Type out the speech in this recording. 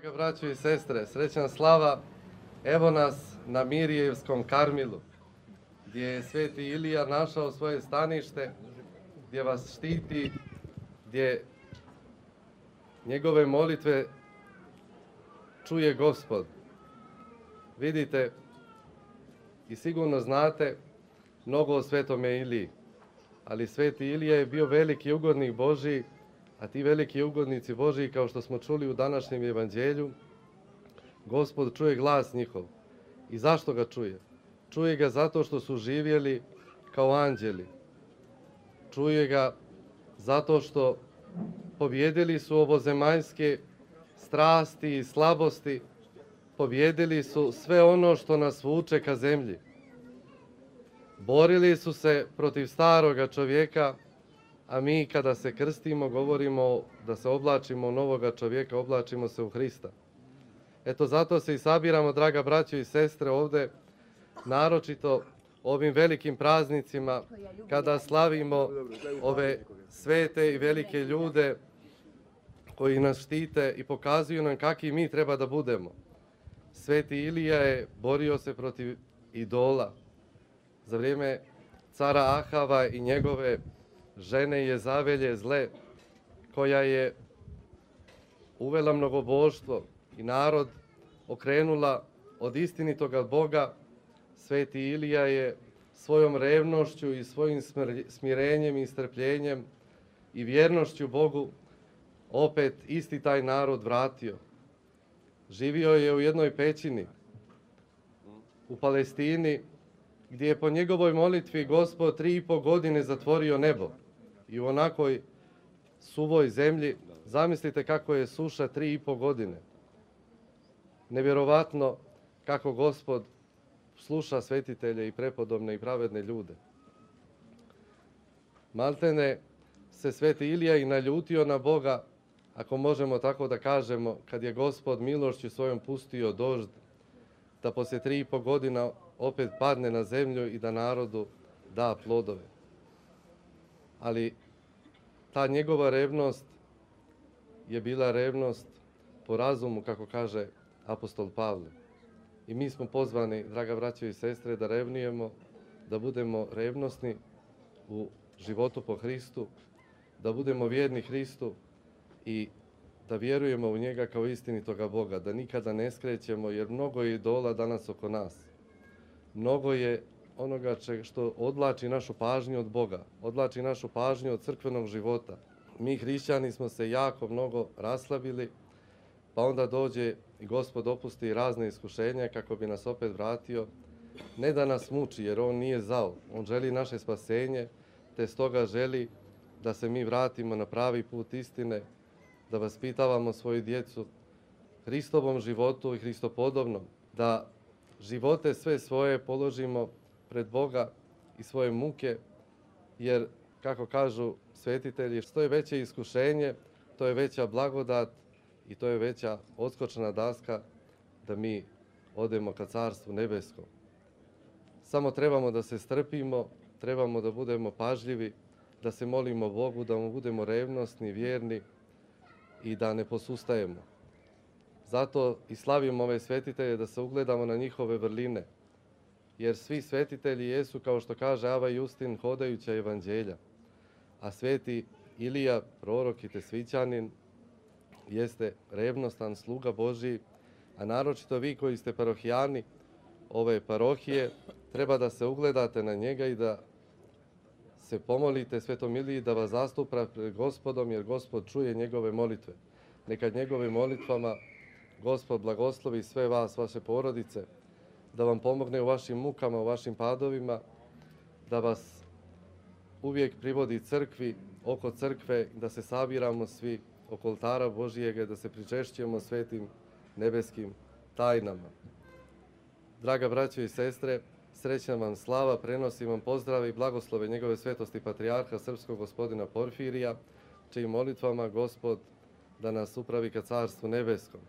Draga braćo i sestre, srećna slava, evo nas na Mirjevskom Karmilu, gdje je sveti Ilija našao svoje stanište, gdje vas štiti, gdje njegove molitve čuje Gospod. Vidite i sigurno znate mnogo o svetome Iliji, ali sveti Ilija je bio veliki ugodnik Božji, a ti veliki ugodnici Božji, kao što smo čuli u današnjem evanđelju, Gospod čuje glas njihov. I zašto ga čuje? Čuje ga zato što su živjeli kao anđeli. Čuje ga zato što pobjedili su ovozemaljske strasti i slabosti, pobjedili su sve ono što nas vuče ka zemlji. Borili su se protiv staroga čovjeka, a mi kada se krstimo govorimo da se oblačimo u novoga čovjeka, oblačimo se u Hrista. Eto zato se i sabiramo, draga braćo i sestre, ovdje, naročito ovim velikim praznicima, kada slavimo ove svete i velike ljude koji nas štite i pokazuju nam kakvi mi treba da budemo. Sveti Ilija je borio se protiv idola. Za vrijeme cara Ahava i njegove žene Jezavelje zle, koja je uvela mnogoboštvo i narod okrenula od istinitoga Boga, sveti Ilija je svojom revnošću i svojim smirenjem i strpljenjem i vjernošću Bogu opet isti taj narod vratio. Živio je u jednoj pećini u Palestini, gdje je po njegovoj molitvi Gospod 3,5 godine zatvorio nebo. I u onakoj suvoj zemlji, zamislite kako je suša 3,5 godine. Nevjerovatno kako Gospod sluša svetitelje i prepodobne i pravedne ljude. Maltene se sveti Ilija i naljutio na Boga, ako možemo tako da kažemo, kad je Gospod milošću svojom pustio dožd, da poslije 3,5 godina opet padne na zemlju i da narodu da plodove. Ali ta njegova revnost je bila revnost po razumu, kako kaže apostol Pavle. I mi smo pozvani, draga braćo i sestre, da revnujemo, da budemo revnosni u životu po Hristu, da budemo vjerni Hristu i da vjerujemo u njega kao istinitoga Boga, da nikada ne skrećemo, jer mnogo je idola danas oko nas. Mnogo je onoga što odvlači našu pažnju od Boga, odvlači našu pažnju od crkvenog života. Mi hrišćani smo se jako mnogo raslabili, pa onda dođe i Gospod opusti razne iskušenja kako bi nas opet vratio. Ne da nas muči, jer on nije zao, on želi naše spasenje, te stoga želi da se mi vratimo na pravi put istine, da vaspitavamo svoju djecu Hristovom životu i Hristopodobnom, da živote sve svoje položimo pred Boga i svoje muke, jer, kako kažu svetitelji, što je veće iskušenje, to je veća blagodat i to je veća odskočna daska da mi odemo ka Carstvu nebeskom. Samo trebamo da se strpimo, trebamo da budemo pažljivi, da se molimo Bogu, da mu budemo revnosni, vjerni i da ne posustajemo. Zato i slavimo ove svetitelje, da se ugledamo na njihove vrline. Jer svi svetitelji jesu, kao što kaže Ava Justin, hodajuća evanđelja. A sveti Ilija, prorok i tesvićanin, jeste revnostan sluga Božji, a naročito vi koji ste parohijani ove parohije, treba da se ugledate na njega i da se pomolite svetom Iliji da vas zastupa pred Gospodom, jer Gospod čuje njegove molitve. Neka njegovim molitvama Gospod blagoslovi sve vas, vaše porodice, da vam pomogne u vašim mukama, u vašim padovima, da vas uvijek privodi crkvi, oko crkve, da se sabiramo svi oko oltara Božijega, da se pričešćujemo svetim nebeskim tajnama. Draga braćo i sestre, srećna vam slava, prenosim vam pozdrave i blagoslove njegove svetosti patrijarha srpskog gospodina Porfirija, čijim molitvama Gospod da nas upravi ka Carstvu nebeskom.